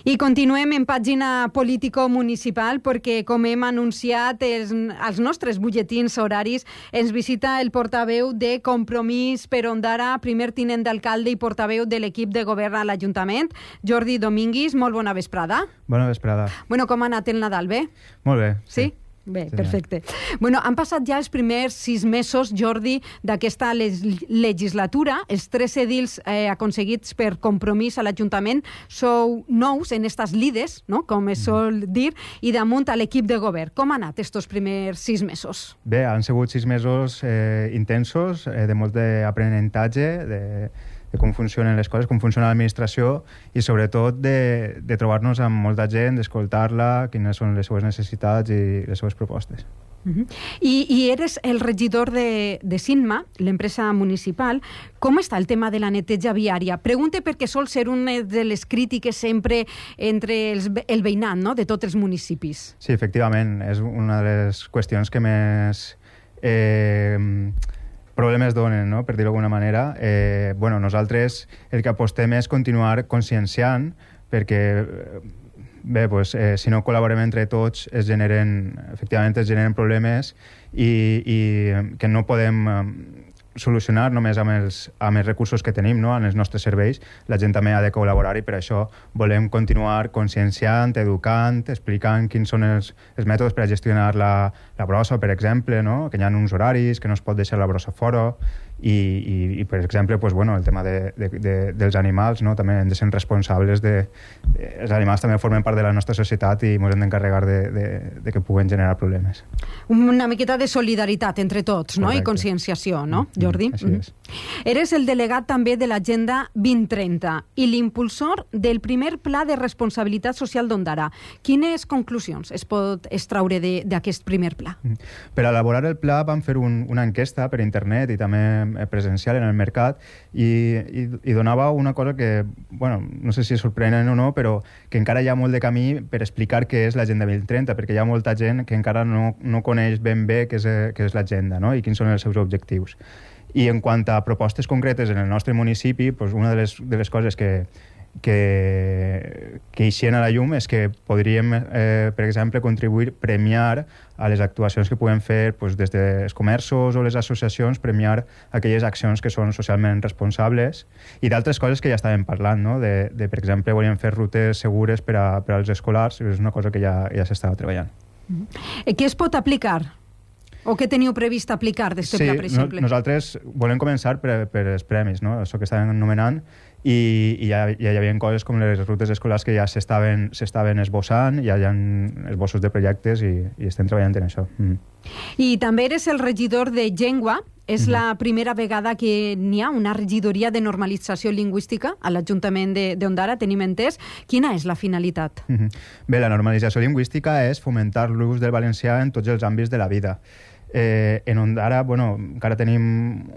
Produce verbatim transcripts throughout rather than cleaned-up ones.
I continuem en pàgina político-municipal perquè, com hem anunciat els, als nostres butlletins horaris, ens visita el portaveu de Compromís per Ondara, primer tinent d'alcalde i portaveu de l'equip de govern a l'Ajuntament, Jordi Domínguez. Molt bona vesprada. Bona vesprada. Bueno, com ha anat el Nadal? Bé? Molt bé. Sí? sí. Bé, perfecte. Bueno, han passat ja els primers sis mesos, Jordi, d'aquesta legislatura. Els tres edils eh, aconseguits per Compromís a l'Ajuntament sou nous en estas lides, no? Com es sol dir, i damunt a l'equip de govern. Com han anat estos primers sis mesos? Bé, han sigut sis mesos eh, intensos, eh, de molt d'aprenentatge, de... de com funcionen les coses, com funciona l'administració i sobretot de, de trobar-nos amb molta gent, d'escoltar-la, quines són les seves necessitats i les seves propostes. Uh-huh. I, I eres el regidor de, de Cinma, l'empresa municipal. Com està el tema de la neteja viària? Pregunte perquè sol ser una de les crítiques sempre entre els, el veïnat, no?, de tots els municipis. Sí, efectivament, és una de les qüestions que més... Eh, problemes donen, no?, per dir-ho d'alguna manera. Eh, bueno, nosaltres el que apostem és continuar conscienciant perquè, bé, pues, eh, si no col·laborem entre tots es generen, efectivament es generen problemes i, i que no podem eh, solucionar només amb els, amb els recursos que tenim, no?, en els nostres serveis. La gent també ha de col·laborar i per això volem continuar conscienciant, educant, explicant quins són els, els mètodes per a gestionar la, la brossa, per exemple, no?, que hi ha uns horaris, que no es pot deixar la brossa fora i, i, i per exemple, pues, bueno, el tema de, de, de, dels animals, no?, també hem de ser responsables de, de... Els animals també formen part de la nostra societat i ens hem d'encarregar de, de, de que puguen generar problemes. Una miqueta de solidaritat entre tots, no?, correcte. I conscienciació, no, Mm, Jordi? així és. Eres el delegat també de l'Agenda vint trenta i l'impulsor del primer Pla de Responsabilitat Social d'Ondara. Quines conclusions es pot extraure d'aquest primer pla? Per elaborar el pla vam fer un, una enquesta per internet i també presencial en el mercat i, i, i donava una cosa que, bueno, no sé si és sorprenent o no, però que encara hi ha molt de camí per explicar què és l'Agenda vint trenta, perquè hi ha molta gent que encara no, no coneix ben bé què és, què és l'agenda, no?, i quins són els seus objectius. I en quant a propostes concretes en el nostre municipi, pues una de les, de les coses que, que, que eixien a la llum és que podríem, eh, per exemple, contribuir, premiar a les actuacions que puguem fer pues, des dels comerços o les associacions, premiar aquelles accions que són socialment responsables i d'altres coses que ja estàvem parlant, no? de, de, per exemple, volíem fer rutes segures per, a, per als escolars, és una cosa que ja, ja s'estava treballant. Mm-hmm. Què es pot aplicar? O què teniu previst aplicar d'aquest sí, pla, per exemple? No, nosaltres volem començar per, per els premis, no?, això que estàvem anomenant, i, i ja, ja hi havia coses com les rutes escolars que ja s'estaven s'estaven esbossant, ja hi ha esbossos de projectes i, i estem treballant en això. Mm. I també eres el regidor de llengua. És mm-hmm. la primera vegada que n'hi ha una regidoria de normalització lingüística a l'Ajuntament d'Ondara, tenim entès. Quina és la finalitat? Mm-hmm. Bé, la normalització lingüística és fomentar l'ús del valencià en tots els àmbits de la vida. Eh, en Ondara, bueno, encara tenim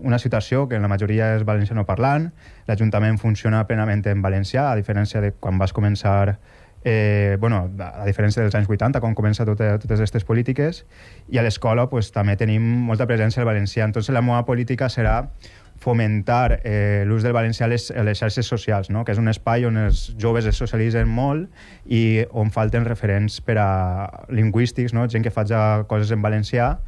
una situació que en la majoria és valencianoparlant. L'Ajuntament funciona plenament en valencià, a diferència de quan vas començar, eh, bueno, a diferència dels anys vuitanta, quan comença tot, totes aquestes polítiques, i a l'escola pues, també tenim molta presència del valencià. Entonces la meva política serà fomentar eh, l'ús del valencià a les, a les xarxes socials, no?, que és un espai on els joves es socialitzen molt i on falten referents per a lingüístics, no?, gent que faci coses en valencià,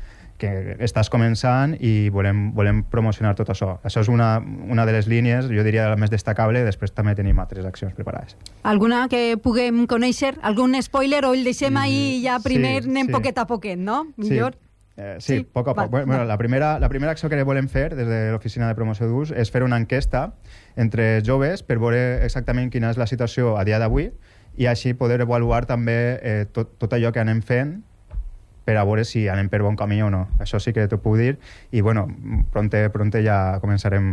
que estàs començant i volem, volem promocionar tot això. Això és una, una de les línies, jo diria, la més destacable, després també tenim altres accions preparades. Alguna que puguem conèixer? Algun spoiler o el deixem mm, ahir i ja primer sí, anem sí. poquet a poquet, no? Millor? Sí, eh, sí, sí, poc a poc. Va, bueno, va. La, primera, la primera acció que volem fer des de l'Oficina de Promoció d'Ús és fer una enquesta entre joves per veure exactament quina és la situació a dia d'avui i així poder avaluar també eh, tot, tot allò que anem fent per a veure si anem per bon camí o no. Això sí que t'ho puc dir i, bueno, pronte, pronte ja començarem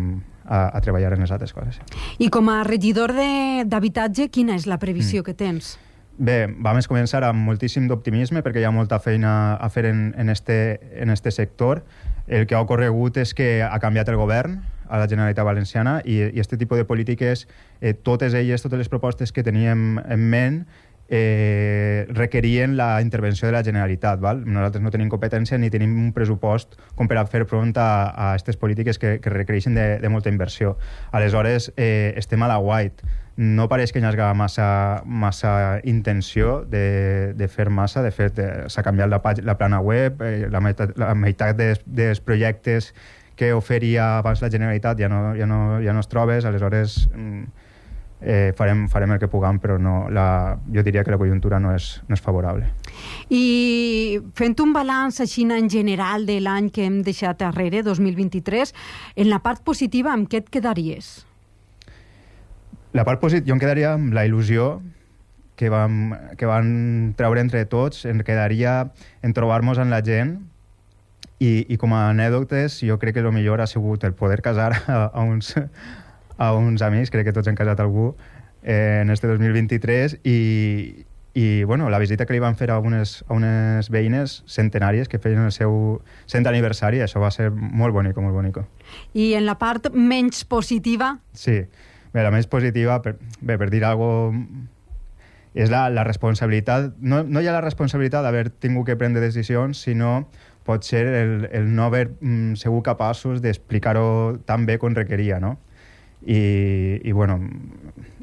a, a treballar en les altres coses. I com a regidor d'habitatge, quina és la previsió mm. que tens? Bé, vam començar amb moltíssim d'optimisme perquè hi ha molta feina a fer en, en, este, en este sector. El que ha ocorregut és que ha canviat el govern a la Generalitat Valenciana i, i este tipus de polítiques, eh, totes elles, totes les propostes que teníem en ment, eh, requerien la intervenció de la Generalitat. Val? Nosaltres no tenim competència ni tenim un pressupost com per a fer front a aquestes polítiques que, que requereixen de, de molta inversió. Aleshores, eh, estem a la white. No pareix que hi hagi massa, massa intenció de, de fer massa. De fet, eh, s'ha canviat la, la plana web, eh, la meitat, la meitat dels, dels projectes que oferia abans la Generalitat ja no, ja no, ja no es trobes, aleshores eh, farem, farem el que puguem, però no, la, jo diria que la conjuntura no és, no és favorable. I fent un balanç així en general de l'any que hem deixat darrere, dos mil vint-i-tres, en la part positiva, amb què et quedaries? La part positiva, jo em quedaria amb la il·lusió que vam, que van treure entre tots, em quedaria en trobar-nos amb la gent. I, i com a anècdotes, jo crec que el millor ha sigut el poder casar a, a, uns, a uns amics, crec que tots han casat algú eh, en este dos mil vint-i-tres, i, i bueno, la visita que li van fer a unes, a unes veïnes centenàries que feien el seu cent aniversari, això va ser molt bonico, molt bonico. I en la part menys positiva? Sí, bé, la més positiva, per, bé, per dir alguna cosa, és la, la responsabilitat, no, no hi ha la responsabilitat d'haver tingut que prendre decisions, sinó pot ser el, el no haver mm, sigut capaços d'explicar-ho tan bé com requeria, no? I, i bueno,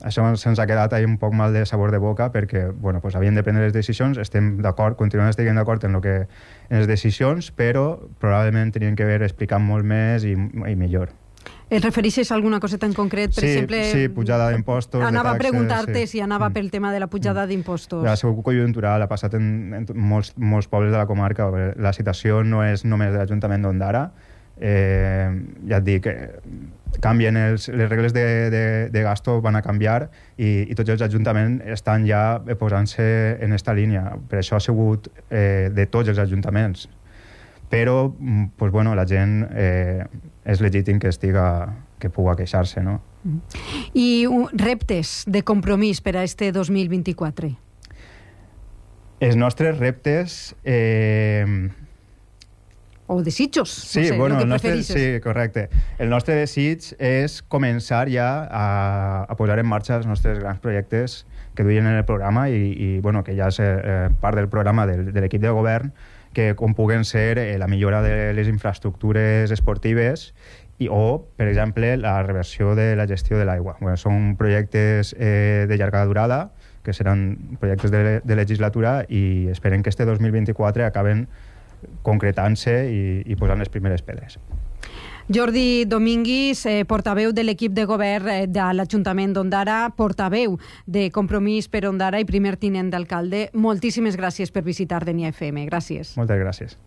això se'ns ha quedat ahí un poc mal de sabor de boca perquè, bueno, pues havien de prendre les decisions, estem d'acord, continuem estant d'acord en, lo que, en les decisions, però probablement tenien que haver explicat molt més i, i millor. Et refereixes a alguna coseta en concret? Per sí, exemple, sí, pujada d'impostos, anava de taxes, a preguntar-te sí. si anava pel tema de la pujada d'impostos. Ha sigut conjuntural, ha passat en, en molts, molts pobles de la comarca. La situació no és només de l'Ajuntament d'Ondara. Eh, ja et dic, canvien els, les regles de, de, de gasto van a canviar i, i tots els ajuntaments estan ja posant-se en aquesta línia. Per això ha sigut eh, de tots els ajuntaments. Però, pues, bueno, la gent eh, és legítim que estiga, que pugui queixar-se, no? I uh, reptes de compromís per a este dos mil vint-i-quatre? Els nostres reptes... Eh... O desitjos, sí, no sé, bueno, el que el nostre, preferisses. sí, correcte. El nostre desig és començar ja a, a posar en marxa els nostres grans projectes que duien en el programa i, i bueno, que ja és eh, part del programa del, de l'equip de govern, que com puguen ser eh, la millora de les infraestructures esportives i, o, per exemple, la reversió de la gestió de l'aigua. Bueno, són projectes eh, de llarga durada, que seran projectes de, de legislatura i esperem que este dos mil vint-i-quatre acaben concretant-se i, i posant les primeres pedres. Jordi Dominguis, eh, portaveu de l'equip de govern eh, de l'Ajuntament d'Ondara, portaveu de Compromís per Ondara i primer tinent d'alcalde, moltíssimes gràcies per visitar D N I F M. Gràcies. Moltes gràcies.